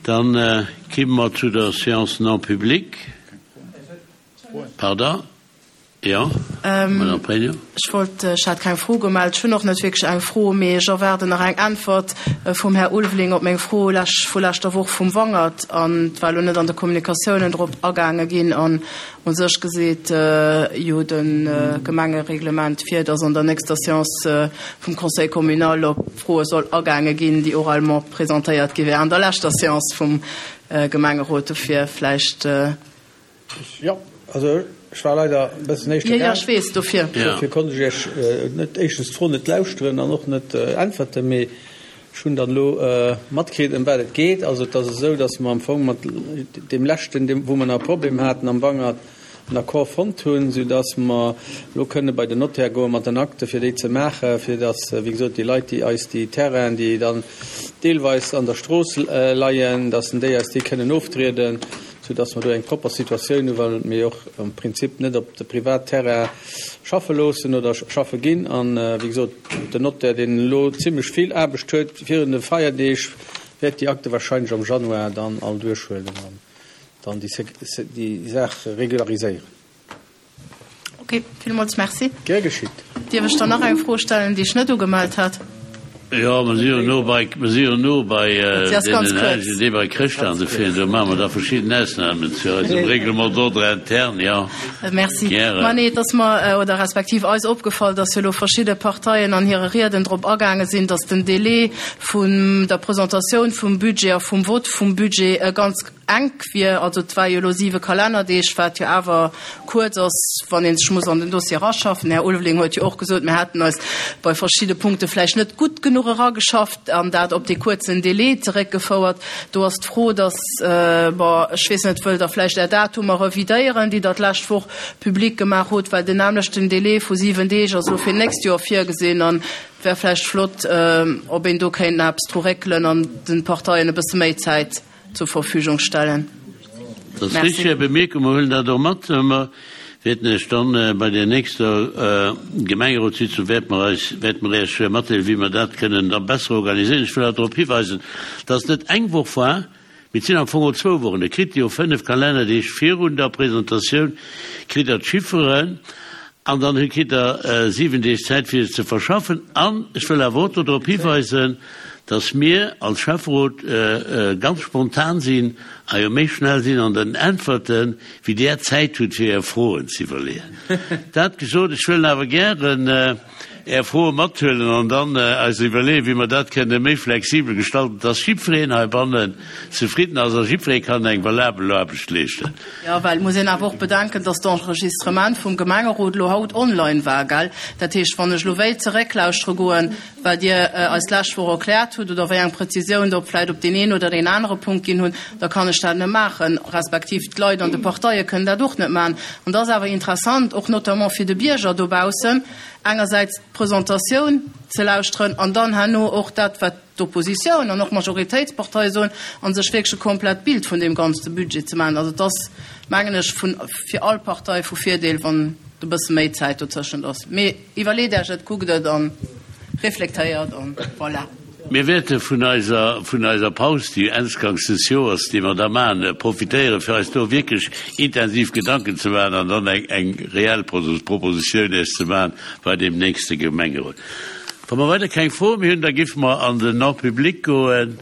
Dann kimme mer zu der Séance non publique. Pardon? Jo, Madame Pregno. Ech wollt, ech hat keng Fro gemellt. Ech hunn och net wierklech eng Fro, mee ech erwaarden nach eng Äntwert vum Här Ulveling op meng Fro lech, vu leschter Woch vum Wangert. An et war elo net an de Kommunikatiounen drop agaange ginn an u sech geseet jo de Gemengereglement vir, dass an der nächster Séance vum Conseil communal op Froe soll agaange ginn, déi oralement presentéiert gi wären an der leschter Séance vum Gemengerot. Dofir vläicht. Jo, also ech war leider e bëssen éischter gaang. Jo, jo, ech weess, dofir. Dofir konnt ech Iech net, éischtens d'Fro net lauschteren an och net äntwerten. Mee ech hunn dann elo matkritt, ëm wat et geet. Also et ass esou, datt mer am Fong mat deem leschten, deem wou mer nach e Problem haten am Wangert, en Accord fonnt hunn, soudatt mer elo kënne bei den Notaire goe mat den Akte fir déi ze maachen, fir datt, wéi gesot, déi Leit, déi eis déi Terrainen, déi dann deelweis an der Strooss leien, datt déi eis déi kënnen oftrieden. sou dass mer do eng propper Situatioun hu well mir jo och am Prinzip net op de Privatterrain schaffe loossen oder schaffe ginn. An, wéi gesot, den Notaire, deen elo zimlech vill Aarbecht huet virun de Feierdeeg, wäert déi Akte wahrscheinlech am Januar dann all duerchhuelen an dann déi Saach regulariséieren. Ok, villmools Merci. Gär geschitt. Dierf ech dann nach eng Fro stellen, déi ech net ugemellt hat? Jo, mer si jo no bei, mer si jo no bei deenen Hellegen, déi bei Chrëschtdag an dofir, do maache mer da verschidden Ausnahmen zu eisem Règlement d'ordre interne, jo. Merci. Ma nee, et ass mer, oder respektiv eis opgefall, dass jo elo verschidde Parteien an hire Rieden drop agaange sinn, dass den Délai vun der Presentatioun vum Budget a vum Vott vum Budget ganz Enk wier. Also et war jo elo siwe Kalennerdeeg, wat jo awer kuerz ass, wann ee sech muss an den Dossier eraschaffen. Den Här Ulveling huet jo och gesot, mir hätten eis bei verschidde Punkte vläicht net gutt genuch erageschafft an dat op dee kuerzen Délai zeréckgefouert. Do ass d'Fro, dass, bon, ech weess net, wëllt Der vläicht Är Datumer revidéieren, déi Der d'lescht Woch public gemaach hutt, well den nämmlechten Délai vu siwen Deeg ass elo fir d'nächst Joer virgesinn an et wär vläicht flott, ob een do kéint nach eppes dru réckelen an de Parteien e bësse méi Zäit zur Verfügung stellen. Dat ass richtig, Är Bemierkung. Mer huelen dat och mat. Mer wäerten Iech dann bei der nächster Gemengerotssitzung wäerte mer eis, wäerte mer Iech matdeelen, wéi mer dat kënnen da besser organiséieren. Ech wëll awer drop hiweisen, dass et net eng Woch war, mee et sinn am Fong och zwou Wochen. Der kritt jo fënnf Kalennerdeeg virun der Presentatioun kritt Der d'Chifferen An dann kritt Der 7 Deeg Zäit, fir se ze verschaffen. An ech wëll awer och do drop hiweisen, dass mir als Schäfferot ganz spontan sinn a jo méi schnell sinn an den Äntwerten, wéi Der Zäit hutt, fir Är Froen ze iwwerleeën. Dat gesot, ech wëll awer gären Är Froe mathuelen an dann eis iwwerleeën, wéi mer dat kënne méi flexibel gestalten, dass jiddwereen heibannen zefridden ass a jiddweree kann eng valabel Aarbecht leeschten. Jo, well et muss een awer och bedenken, dass d'Enregistrement vum Gemengerot elo haut online war, gell? Dat heescht, wann ech elo wéilt zerécklauschtere goen, wat Dir eis d'lescht Woch erkläert hutt oder wéi eng Präzisioun Der vläicht op deen een oder deen anere Punkt ginn hunn, da kann ech dat net maachen, respektiv d'Leit an de Parteie kënnen dat och net maachen. An dat ass awer interessant, och notamment fir de Bierger dobaussen, engersäits d'Presentatioun ze lauschteren an dann herno och dat, wat d'Oppositioun an och d'Majoritéitsparteie soen, a sech wierklech e komplett Bild vun deem ganze Budget ze maachen. Also et ass, mengen ech, vun, fir all Partei vu Virdeel, wann e bësse méi Zäit dozëschent ass. Mee iwwerleet Iech et, kuckt et a reflektéiert an voilà. Mir wäerte vun eiser, vun eiser Paus, déi Ensgangs des Joers, déi mer da maachen, profitéieren, fir eis do wierklech intensiv Gedanken ze maachen an dann eng, eng reell Propositioun Iech ze maachen bei deem nächste Gemengerot. Wa mer weider keng Froe méi hunn, da géife mer an den Non-public goen.